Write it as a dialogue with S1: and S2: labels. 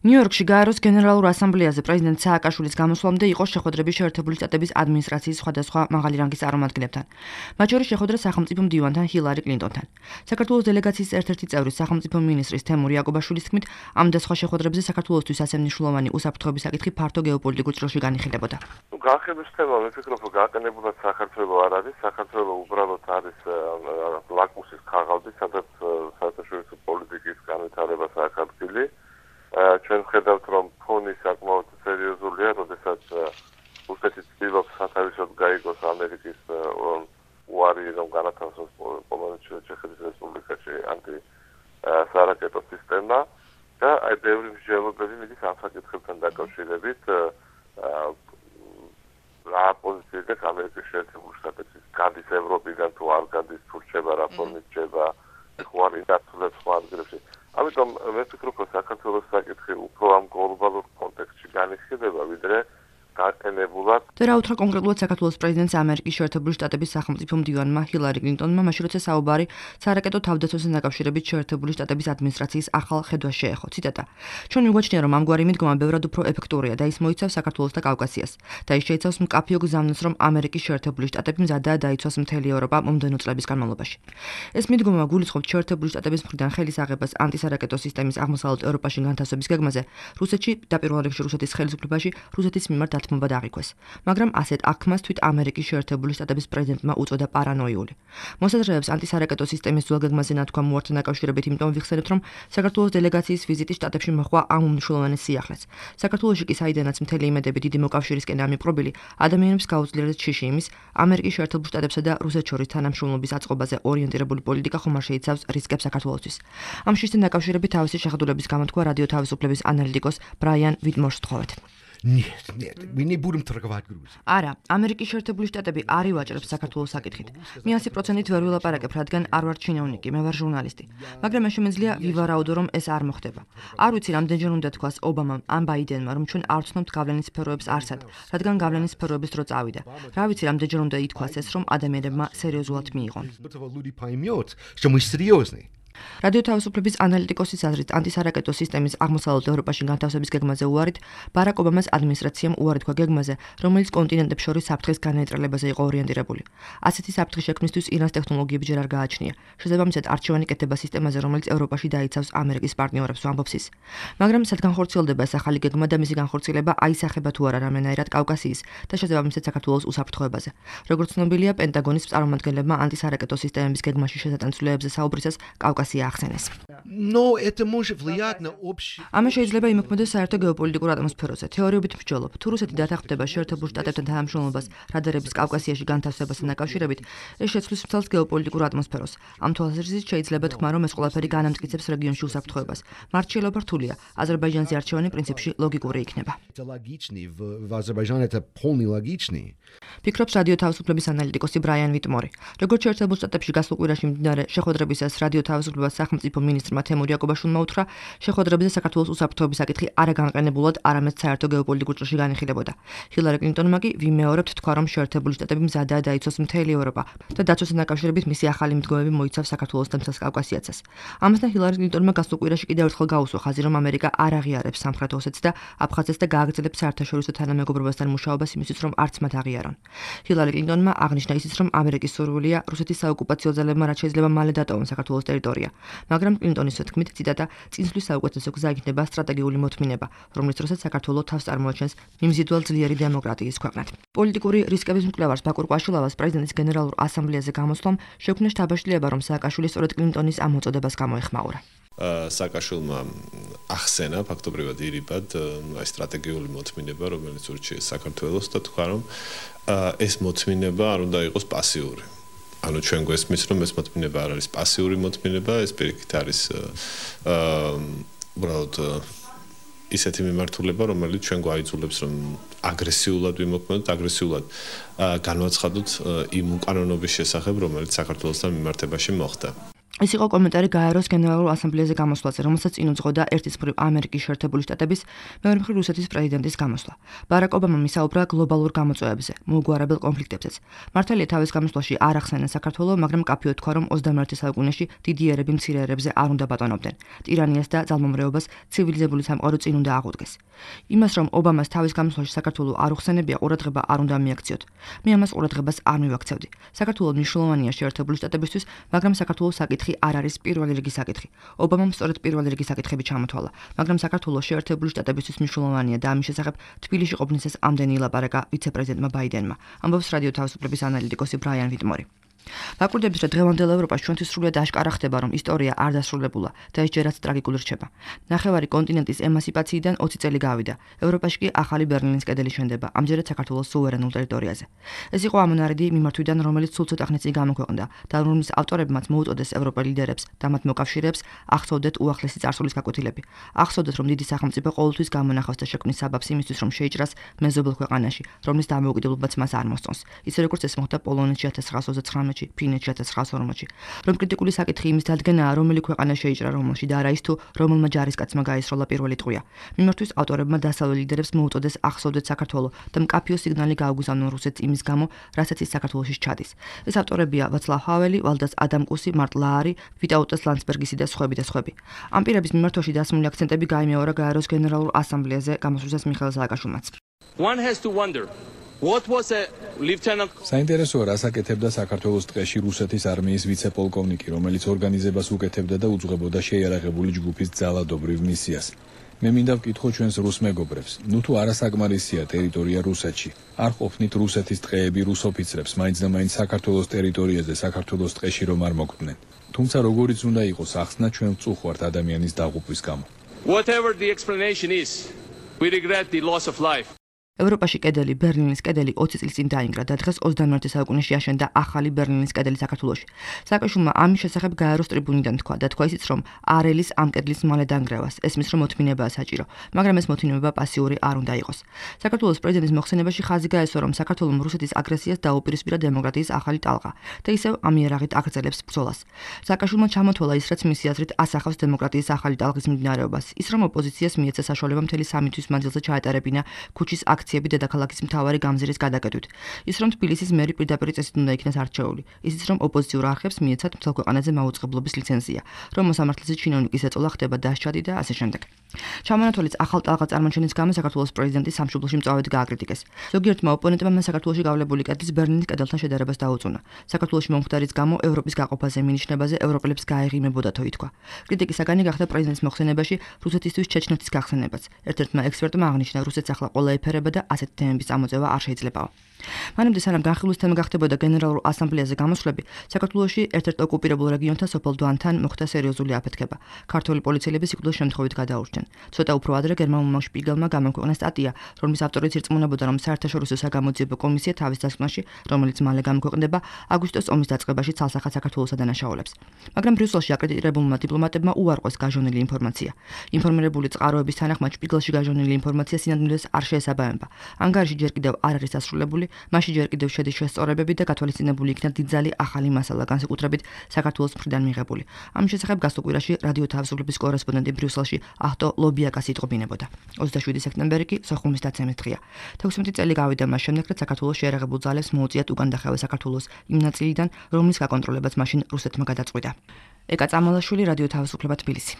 S1: ნიუ-იორკში გაეროს გენერალურ ასამბლეაზე პრეზიდენტ სააკაშვილის გამოსვლამდე იყო შეხვედრები შეერთებული შტატების ადმინისტრაციის სხვადასხვა მაღალი რანგის წარმომადგენლებთან. მათ შორის შეხვედრა სახელმწიფო მდივანთან ჰილარი კლინტონთან. საქართველოს დელეგაციის ერთ-ერთი წევრი სახელმწიფო მინისტრის თემურ იაკობაშვილის თქმით, ამ და სხვა შეხვედრებზე საქართველოსთვის ასე მნიშვნელოვანი უსაფრთხოების საკითხი ფართო გეოპოლიტიკურ ჭრილში განიხილებოდა.
S2: განხილვის თემა მე ვფიქრობ, რომ გაყენებულად საქართველოს არ არის, საქართველოს უბრალოდ არის ლაკმუსის ქაღალდი, სადაც საერთაშორისო პოლიტიკის განვითარებას აქვს ადგილი. ჩვენ ხედავთ, რომ ფონი საკმაოდ სერიოზულია, როდესაც რუსეთი ცდილობს სათავისოდ გაიგოს ამერიკის უარი, რომ განათავსოს პოლონეთში, ჩეხეთის რესპუბლიკაში ანტი-სარაკეტო სისტემა და აი ბევრი მსჯელობები მიდის ამ საკითხებთან დაკავშირებით. რა პოზიციაზე ამერიკის შეერთებული შტატები გადის ევროპიდან თუ არ გადის, თუ რჩება რა ფორმით რჩება, ხო არ ინდაცულებს სხვა ადგილებში. ამიტომ მე ვფიქრობ, რომ საქართველოს საკითხი უფრო ამ გლობალურ კონტექსტში განიხილება, ვიდრე გაყენებულად.
S1: და რა უთხრა კონკრეტულად საქართველოს პრეზიდენტს ამერიკის შეერთებული შტატების სახელმწიფო მდივანმა ჰილარი კლინტონმა, მაშინ როცა საუბარი სარაკეტო თავდაცვასთან დაკავშირებით შეერთებული შტატების ადმინისტრაციის ახალ ხედვას შეეხო. ციტატა: ჩვენ მიგვაჩნია, რომ ამგვარი მიდგომა ბევრად უფრო ეფექტურია და ის მოიცავს საქართველოს და კავკასიას და ის შეიცავს მკაფიო გზავნილს, რომ ამერიკის შეერთებული შტატები მზადაა დაიცვას მთელი ევროპა მომდევნო წლების განმავლობაში. ეს მიდგომა გულისხმობს შეერთებული შტატების მხრიდან ხელის აღებას ანტისარაკეტო სისტემის აღმოსავლეთ ევროპაში განთავსების გეგმაზე, რუსეთში და პირველ რიგში რუსეთის ხელისუფლებაში რუსეთის მიმართ დათმობა დააღვიქვეს. მაგრამ ასეთ აქმას თვით ამერიკის შეერთებული შტატების პრეზიდენტმა უწოდა პარანოიული. მოსაზრებებს ანტისარაკეტო სისტემის ძველ გეგმაზე ნათქვამ უართან დაკავშირებით იმიტომ ვიხსენებთ, რომ საქართველოს დელეგაციის ვიზიტი შტატებში მოჰყვა ამ უმნიშვნელოვანეს სიახლეს. საქართველოში კი საიდანაც მთელი იმედები დიდი მოკავშირისკენ ამიპყრობილი, ადამიანებს გაუძლიერეს შიში იმის, ამერიკის შეერთებულ შტატებსა და რუსეთს შორის თანამშრომლობის აწყობაზე ორიენტირებული პოლიტიკა ხომ არ შეიცავს რისკებს საქართველოსთვის. ამ შიშთან დაკავშირებით თავისი შეხედულების გამოთქვა რადიო თავისუფლების ანალიტიკოს ბრაიან ვიტმორს ვთხოვეთ. არა, ამერიკის შეერთებული შტატები არ ივაჭრებს საქართველოს საკითხით. მე 100%-ით ვერ ვილაპარაკებ, რადგან არ ვარ ჩინოვნიკი, მე ვარ ჟურნალისტი. მაგრამ მე შემიძლია ვივარაუდო, რომ ეს არ მოხდება. არ ვიცი, რამდენჯერ უნდა თქვას ობამამ ან ბაიდენმა, რომ ჩვენ არ ვცნობთ გავლენის სფეროებს არსად, რადგან გავლენის სფეროების დრო წავიდა. რა ვიცი, რამდენჯერ უნდა ითქვას ეს, რომ ადამიანებმა სერიოზულად მიიღონ. რადიო თავისუფლების ანალიტიკოსის აზრით, ანტისარაკეტო სისტემის აღმოსავლეთ ევროპაში განთავსების გეგმაზე უარით, ბარაკ ობამას ადმინისტრაციამ უარი თქვა გეგმაზე, რომელიც კონტინენტებს შორის საფრთხის განნეიტრალებაზე იყო ორიენტირებული. ასეთი საფრთხის შექმნისთვის ირანს ტექნოლოგიები ჯერ არ გააჩნია. შესაბამისად, არჩევანი კეთდება სისტემაზე, რომელიც ევროპაში დაიცავს ამერიკის პარტნიორებს, ამბობს ის. მაგრამ სად განხორციელდება ეს ახალი გეგმა და მისი განხორციელება აისახება თუ არა რამდენადაც კავკასიის და შესაბამისად საქართველოს უსაფრთხოებაზე. როგორც ცნობილია, პენტაგონის წარმომადგენლებმა ანტისარაკეტო სისტემების გეგმაში შესატანცვლეებზე საუბრისას კავკასია ახსენეს. ამას შეიძლება იმოქმედოს საერთო გეოპოლიტიკურ ატმოსფეროზე. თეორიობით მსჯელობ, თუ რუსეთი დათანხმდება შეერთებულ შტატებთან თანამშრომლობას რადარების კავკასიაში განთავსებასთან დაკავშირებით, ეს შეცვლის მთელს გეოპოლიტიკურ ატმოსფეროს. ამ თვალსაზრისით შეიძლება თქვა, რომ ეს ყველაფერი განამტკიცებს რეგიონში უსაფრთხოებას. მართლობა რთულია. აზერბაიჯანზე არჩევანი პრინციპში ლოგიკური იქნება. ფიქრობს რადიო თავისუფლების ანალიტიკოსი ბრაიან ვიტმორი. როგორც შეერთებულ შტატებში გასულ კვირაში მიმდინარე შეხვედრებისას რადიო თავისუფლებას სახელმწიფო მინისტრმა თემურ იაკობაშვილმა უთხრა, შეხვედრებზე საქართველოს უსაფრთხოების საკითხი არა განყენებულად, არამედ საერთო გეოპოლიტიკურ ჭრილში განიხილებოდა. ჰილარი კლინტონმა კი ვიმეორებთ თქვა, რომ შეერთებული შტატები მზადაა დაიცვას მთელი ევროპა და დაცვასთან დაკავშირებით მისი ახალი მიდგომები მოიცავს საქართველოს და მთელს კავკასიაცას. ამასთან ჰილარი კლინტონმა გასულ კვირაში კიდევ ერთხელ გაუსვა ხაზი, რომ ამერიკა არ აღიარებს სამხრეთ ოსეთს და აფხაზეთს და გააგრძელებს საერთაშორისო თანამეგობრობასთან მუშაობას იმისთვის, რომ არც მათ აღიარონ. ჰილარი კლინტონმა აღნიშნა ისიც, რომ ამერიკის სურვილია რუსეთის საოკუპაციო ძალებმა რაც შეიძლება მალე დატოვონ საქართველოს ტერიტორია. მაგრამ კლინტონის თქმით, ციტატა, წინსვლის საუკეთესო გზა იქნება სტრატეგიული მოთმინება, რომლის დროსაც საქართველო თავს წარმოაჩენს მიმზიდველ ძლიერი დემოკრატიის ქვეყნად. პოლიტიკური რისკების მკვლევარს ბაკურ კვაშილავას პრეზიდენტის გენერალურ ასამბლეაზე გამოსვლამ შექმნა შთაბეჭდილება, რომ სააკაშვილი სწორედ კლინტონის ამ მოწოდებას გამოეხმაურა.
S3: სააკაშვილმა ახსენა ფაქტობრივად ირიბად აი სტრატეგიული მოთმინება, რომელიც ურჩიეს საქართველოს და თქვა, რომ ეს მოთმინება არ უნდა იყოს პასიური. ანუ ჩვენ გვესმის, რომ ეს მოთმინება არ არის პასიური მოთმინება, ეს პირიქით არის უბრალოდ ისეთი მიმართულება, რომელიც ჩვენ გვაიძულებს, რომ აგრესიულად ვიმოქმედოთ, აგრესიულად განვაცხადოთ იმ უკანონობის შესახებ, რომელიც საქართველოსთან მიმართებაში მოხდა.
S1: ეს იყო კომენტარი გაეროს გენერალურ ასამბლეაზე გამოსვლაზე, რომელსაც წინ უძღოდა ერთის მხრივ ამერიკის შეერთებული შტატების, მეორე მხრივ რუსეთის პრეზიდენტის გამოსვლა. ბარაკ ობამამ ისაუბრა გლობალურ გამოწვევებზე, მოუგვარებელ კონფლიქტებზეც. მართალია თავის გამოსვლაში არ ახსენა საქართველოს, მაგრამ კაფეოდ თქვა, რომ 21 საუკუნეში დიდი ერები მცირე ერებზე არ უნდა ბატონობდნენ. ტირანიას და ძალმომრეობას ცივილიზებული სამყარო წინ უნდა აღუდგეს. იმას, რომ ობამას თავის გამოსვლაში საქართველოს არ უხსენებია, ყურადღება არ უნდა მიაქციოთ. მე ამას ყურადღებას არ მივაქცევდი. საქართველოს მნიშვნელოვანია შეერთებული შტატებისთვის, მაგრამ საქართველოს საკითხი არ არის პირველი რიგის საკითხი. ობამამ სწორედ პირველი რიგის საკითხები ჩამოთვალა, მაგრამ საქართველოს შეერთებული შტატებისთვის მნიშვნელოვანია და ამის შესახებ თბილისში ყოფნისას ამდენი ილაპარაკა ვიცე-პრეზიდენტმა ბაიდენმა, ამბობს რადიო თავისუფლების ანალიტიკოსი ბრაიან ვიტმორი. ვაკვირდებით, რომ დღევანდელ ევროპაში ჩვენთვის სრულად აშკარა ხდება, რომ ისტორია არ დასრულებულა და ეს ჯერაც ტრაგიკული რჩება. ნახევარი კონტინენტის ემანსიპაციიდან 20 წელი გავიდა. ევროპაში კი ახალი ბერლინის კედელი შენდება, ამჯერად საქართველოს სუვერენულ ტერიტორიაზე. ეს იყო ამონარიდი მიმართვიდან, რომელიც სულ ცოტა ხნის წინ გამოქვეყნდა და რომლის ავტორებმაც მოუწოდეს ევროპელ ლიდერებს და მათ მოკავშირეებს ახსოვდეთ უახლესი წარსულის გაკვეთილები. ახსოვდეთ, რომ დიდი სახელმწიფო ყოველთვის გამონახავს და შექმნის საბაბს იმისთვის, რომ შეიჭრას მეზობელ ქვეყანაში, რომლის დამოუკიდებლობაც მას არ მოსწონს. ისე როგორც ეს მოხდა პოლონეთში 1939 ფინეთში 1940-ში. რომ კრიტიკული საკითხი იმის დადგენაა, რომელი ქვეყანა შეიჭრა რომელში და არა ის თუ რომელმა ჯარისკაცმა გაისროლა პირველი ტყვია. მიმართვის ავტორებმა დასავლელ ლიდერებს მოუწოდეს ახსოვდეთ საქართველოს და მკაფიო სიგნალი გაუგზავნონ რუსეთს იმის გამო, რასაც ის საქართველოში ჩადის. ეს ავტორებია ვაცლავ ჰაველი, ვალდას ადამკუსი, მარტ ლაარი, ვიტაუტას ლანცბერგისი და სხვები. ამ პირების მიმართვაში დასმული აქცენტები გაიმეორა გაეროს გენერალურ ასამბლეაზე გამოსვლისას მიხეილ სააკაშვილმაც.
S4: One has to wonder what was a lieutenant
S5: საინტერესოა, რას აკეთებდა საქართველოს ტყეში რუსეთის არმიის ვიცე-პოლკოვნიკი, რომელიც ორგანიზებას უკეთებდა და უძღვებოდა შეიარაღებული ჯგუფის ძალადობრივ მისიას. მე მინდა ვკითხო ჩვენს რუს მეგობრებს, ნუ თუ არასაკმარისია ტერიტორია რუსეთში, არ ყოფნით რუსეთის ტყეები რუს ოფიცრებს, მაინც და მაინც საქართველოს ტერიტორიაზე, საქართველოს ტყეში რომ არ მოკდნენ. თუმცა როგორიც უნდა იყოს ახსნა, ჩვენ ვწუხართ ადამიანის დაღუპვის გამო.
S4: Whatever the explanation is, we regret the loss of life.
S1: ევროპაში კედელი, ბერლინის კედელი 20 წლის წინ დაინგრა და დღეს 21 საუკუნეში აშენდა ახალი ბერლინის კედელი საქართველოში. სააკაშვილმა ამის შესახებ გაეროს ტრიბუნიდან თქვა და თქვა ისიც, რომ არელის ამ კედლის მალე დანგრევას, ესმის რომ მოთმინებაა საჭირო, მაგრამ ეს მოთმინება პასიური არ უნდა იყოს. საქართველოს პრეზიდენტის მოხსენებაში ხაზი გაესვა, რომ საქართველოს რუსეთის აგრესიას დაუპირისპირა დემოკრატიის ახალი ტალღა და ისევ ამ იარაღით აგრძელებს ბრძოლას. სააკაშვილმა ჩამოთვალა ის, რაც მისი აზრით ასახავს დემოკრატიის ახალი ტალღის მიმდინარეობას, ის რომ ოპოზიციას მიეცა საშუალება მთელი 3 თვის მანძილზე ჩაეტარებინა ქუჩის აქციები დედაქალაქის მთავარი გამზირის გადაკეთვით. ის რომ თბილისის მერი პირდაპირ წესით უნდა იქნას არჩეული. ისიც რომ ოპოზიციურ არხებს მიეცათ მთელ ქვეყანაზე მაუწყებლობის ლიცენზია, რომ მოსამართლეზე ჩინოვნიკის ეწოლა ხდება დასჯადი და ასე შემდეგ. ჩამონათვალის ახალ ტალღა წარმოჩენის გამო საქართველოს პრეზიდენტი სამშობლოში მწვავედ გააკრიტიკეს. ზოგიერთმა ოპონენტმა მას საქართველოში გავლებული კედლის ბერლინის კედელთან შედარებას დაუწუნა. საქართველოში მომხდარის გამო ევროპის გაყოფაზე მინიშნებაზე ევროპელებს გაეღიმებოდათო ითქვა. კრიტიკის საგანი გახდა პრეზიდენტის მოხსენებაში რუსეთისთვის ჩეჩნეთის გახსენებაც. ერთ-ერთმა ექსპერტმა აღნიშნა, რუსეთს ახლა ყველა ეფერება და ასეთი თემების წამოწევა არ შეიძლებაო. მანამდე სანამ განხილვის თემა გახდებოდა გენერალურ ასამბლეაზე გამოსვლები, საქართველოში ერთ-ერთ ოკუპირებულ რეგიონთან სოფელ დვანთან მოხდა სერიოზული აფეთქება. ქართველი პოლიციელები სიკვდილის შემთხვევით გადაურჩნენ. ცოტა უფრო ადრე გერმანულმა შპიგელმა გამოქვეყნა სტატია, რომლის ავტორიც ირწმუნებოდა, რომ საერთაშორისო საგამოძიებო კომისია თავის დასკვნაში, რომელიც მალე გამოქვეყნდება, აგვისტოს ომის დაწყებაში ცალსახად საქართველოსა დანაშაულებს. მაგრამ ბრიუსელში აკრედიტებულმა დიპლომატებმა უარყვეს გაჟონილი ინფორმაცია. ინფორმირებული წყაროების თანახმად შპიგელში გაჟონილი ინფორმაცია სინამდვილეს არ შეესაბამება. ანგარიში ჯერ კიდევ არ არის დასრულებული, მასში ჯერ კიდევ შედის შესწორებები და გათვალისწინებული იქნა დიდძალი ახალი მასალა, განსაკუთრებით საქართველოს მხრიდან მიღებული. ამის შესახებ გასულ კვირაში რადიო თავისუფლების კორესპონდენტი ბრიუსელში ახტო ლობიაკას იტყობინებოდა. 27 სექტემბერი კი სოხუმის დაცემის დღეა. 16 წელი გავიდა მას შემდეგ, რაც საქართველოს შეიარაღებულ ძალებს მოუწიათ უკან დახევა საქართველოს იმ ნაწილიდან, რომლის გაკონტროლებაც მაშინ რუსეთმა გადაწყვიტა. ეკა წამალაშვილი, რადიო თავისუფლება, თბილისი.